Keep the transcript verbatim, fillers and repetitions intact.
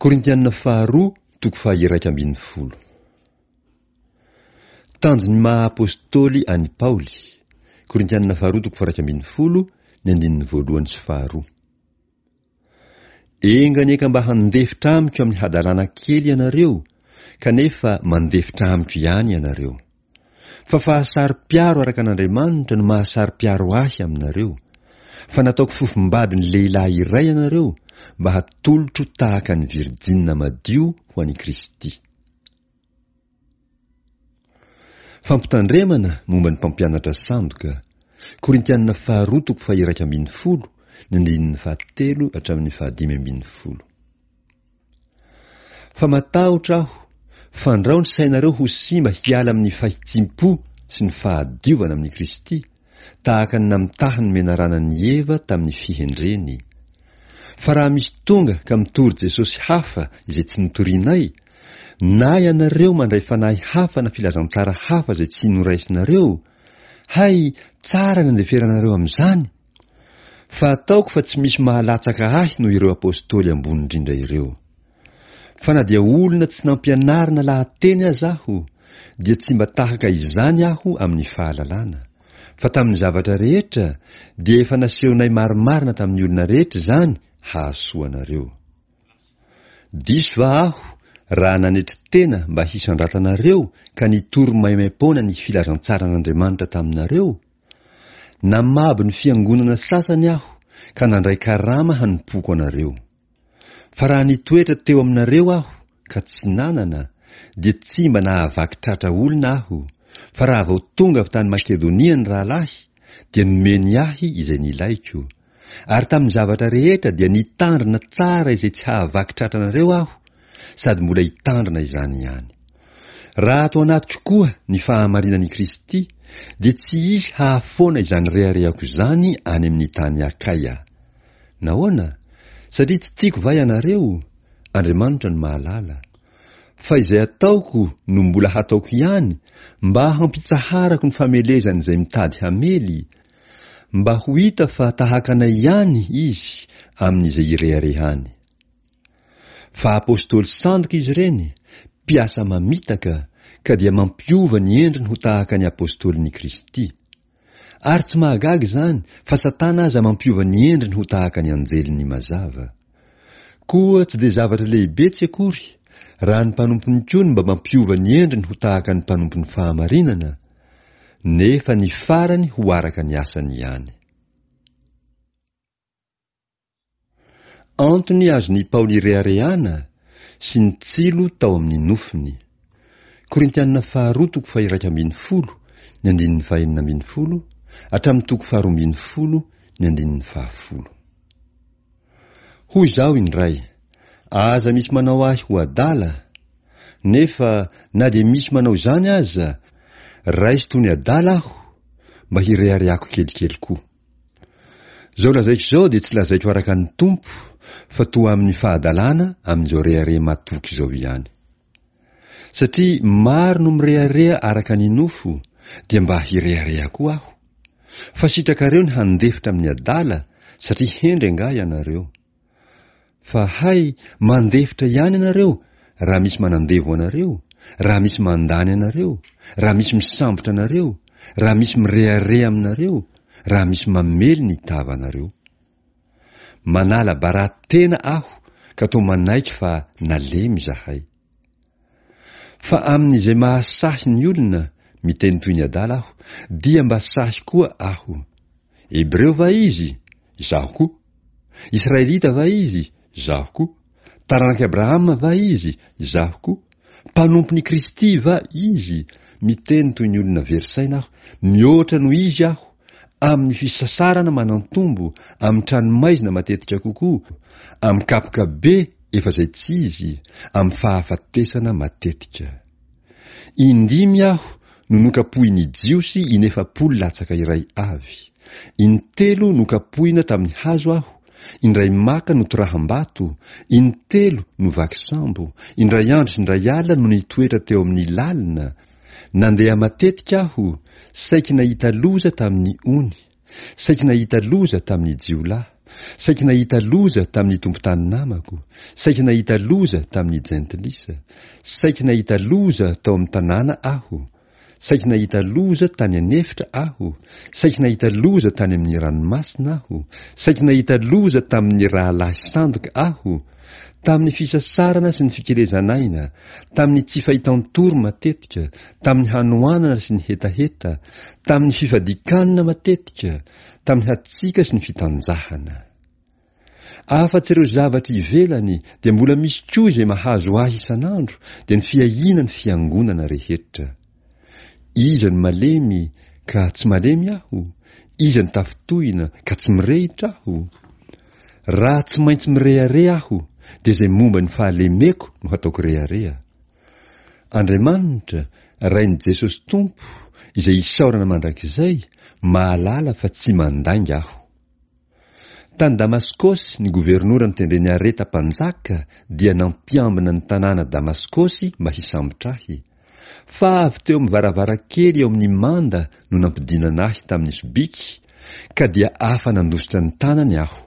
Korintianina faharoa toko faha-iraika ambin'ny folo. Tanjon'ny maha apostoly an'i Paoly. Korintianina faharoa toko faha-iraika ambin'ny folo, ny andininy voalohany sy faharoa. Enga anie ka mba handefitra amiko amin'ny hadalana kely ianareo, kanefa mandefitra amiko ihany ianareo. Fa fahasaro-piaro araka an'Andriamanitra no mahasaro-piaro ahy aminareo. Fa nataoko fofombadin'ny lehilahy iray ianareo mba hatolotro tahaka ny virjinina madio ho an'i Kristy. Fampitandremana momba ny mpampianatra sandoka. Korintianina faharoa toko faha-iraika ambin'ny folo, ny andininy fahatelo hatramin'ny fahadimy ambin'ny folo. Fa matahotra aho, fandrao ny sainareo ho simba hiala amin'ny fahitsim-po sy ny fahadiovana amin'i Kristy, tahaka ny namitahan'ny menarana an'i Eva tamin'ny fihendreny. Fa raha misy tonga ka mitory Jesosy hafa izay tsy notorianay, na ianareo mandray fanahy hafa na filazantsara hafa izay tsy noraisinareo, hay tsara ny andeferanareo amin'izany! Fa ataoko fa tsy misy mahalatsaka ahy noho ireo apostoly ambony indrindra ireo. Fa na dia olona tsy nampianarina lahateny aza aho, dia tsy mba tahaka izany aho amin'ny fahalalana. Fa tamin'ny zavatra rehetra, dia efa nasehonay marimarina tamin'ny olona rehetra izany hahasoa anareo. Diso va aho raha nanetry tena mba hisandratanareo ka nitory maimaim-poana ny filazantsaran'Andriamanitra taminareo? Namabo ny fiangonana sasany aho ka nandray karama hanompoako anareo. Fa raha nitoetra teo aminareo aho ka tsy nanana, dia tsy mba nahavaky tratra olona aho, fa raha vao tonga avy tany Makedonia ny rahalahy, dia nomeny ahy izay nilaiko. Ary tamin'ny zavatra rehetra dia nitandrina tsara izay tsy hahavaky tratra anareo aho, sady mbola hitandrina izany ihany. Raha ato anatiko koa ny fahamarinan'i Kristy, dia tsy hisy hahafoana izany reharehako izany any amin'ny tany Akaia. Nahoana? Satria tsy tiako va ianareo? Andriamanitra no mahalala. Fa izay ataoko no mbola hataoko ihany, mba hampitsaharako ny famelezan'izay mitady hamely, mba ho hita fa tahaka anay ihany izy amin'izay ireharehany. Fa apostoly sandoka izy ireny, mpiasa mamitaka, ka dia mampiova ny endriny ho tahaka ny apostolin'i Kristy. Ary tsy mahagaga izany fa Satana aza mampiova ny endriny ho tahaka ny anjelin'ny mazava. Koa tsy dia zavatra lehibe tsy akory raha ny mpanompony koa no mba mampiova ny endriny ho tahaka ny mpanompon'ny fahamarinana, nefa ny farany ho araka ny asany ihany. Antony azon'i Paoly ireharehana sy ny tsilo tao amin'ny nofony. Korintianina faharoa toko faha-iraika ambin'ny folo, ny andininy fahenina ambin'ny folo, hatramin'ny toko faharoa ambin'ny folo, ny andininy fahafolo. Hoy izaho indray, aza misy manao ahy ho adala, nefa na dia misy manao izany aza, raiso toy ny adala aho, mba hireharehako kelikely koa. Izao lazaiko izao dia tsy lazaiko araka ny Tompo, fa toa amin'ny fahadalana amin'izao rehareha matoky izao ihany. Satria maro no mirehareha araka ny nofo, dia mba hirehareha koa aho. Fa sitrakareo ny handefitra amin'ny adala, satria hendry angaha ianareo. Fa hay, mandefitra ihany ianareo raha misy manandevo anareo, raha misy mandany anareo, raha misy misambotra anareo, raha misy mirehareha aminareo, raha misy mamely ny tavanareo. Manala bara tena aho ka toa manaiky fa nalemy izahay. Fa amin'izay mahasahy ny olona, miteny toy ny adala aho, dia mba sahy koa aho. Hebreo va izy? Izaho koa. Israelita va izy? Izaho koa. Taranak'i Abrahama va izy? Izaho koa. Mpanompon'i Kristy va izy? Miteny toy ny olona very saina aho, mihoatra noho izy aho, amin'ny fisasarana manan-tombo, amin'ny tranomaizina matetika kokoa, amin'ny kapoka be efa izay tsy izy, amin'ny fahafatesana matetika. Indimy aho no nokapohin'ny Jiosy inefapolo latsaka iray avy. Intelo nokapohina tamin'ny hazo aho, indray maka notoraham-bato, intelo novaky sambo, indray andro sy indray alina no nitoetra teo amin'ny lalina, nandeha matetika aho, saiky nahita loza tamin'ny ony, saiky nahita loza tamin'ny jiolahy, Saiky nahita loza tamin'ny tompon-tany namako, saiky nahita loza tamin'ny jentilisa, saiky nahita loza tao amin'ny tanàna aho, saiky nahita loza tany an'efitra aho, saiky nahita loza tany amin'ny ranomasina aho, saiky nahita loza tamin'ny rahalahy sandoka aho, tamin'ny fisasarana sy ny fikelezan'aina, tamin'ny tsy fahitan-tory matetika, tamin'ny hanoanana sy ny hetaheta, tamin'ny fifadian-kanina matetika, tamin'ny hatsiaka sy ny fitanjahana. Afa-tsy ireo zavatra ivelany dia mbola misy koa izay mahazo ahy isan'andro, dia ny fiahiana ny fiangonana rehetra. Iza no malemy ka tsy malemy aho? Iza no tafintohina ka tsy mirehitra aho? Raha tsy maintsy mirehareha aho, dia izay momba ny fahalemeko no hataoko rehareha. Andriamanitra, Rain'i Jesosy Tompo, izay isaorana mandrakizay, mahalala fa tsy mandainga aho. Tany Damaskosy, ny governora notendren'i Areta mpanjaka dia nampiambina ny tanàna Damaskosy mba hisambotra ahy. Fa avy teo amin'ny varavarankely eo amin'ny manda no nampidinana ahy tamin'ny sobiky, ka dia afa-nandositra ny tanany aho.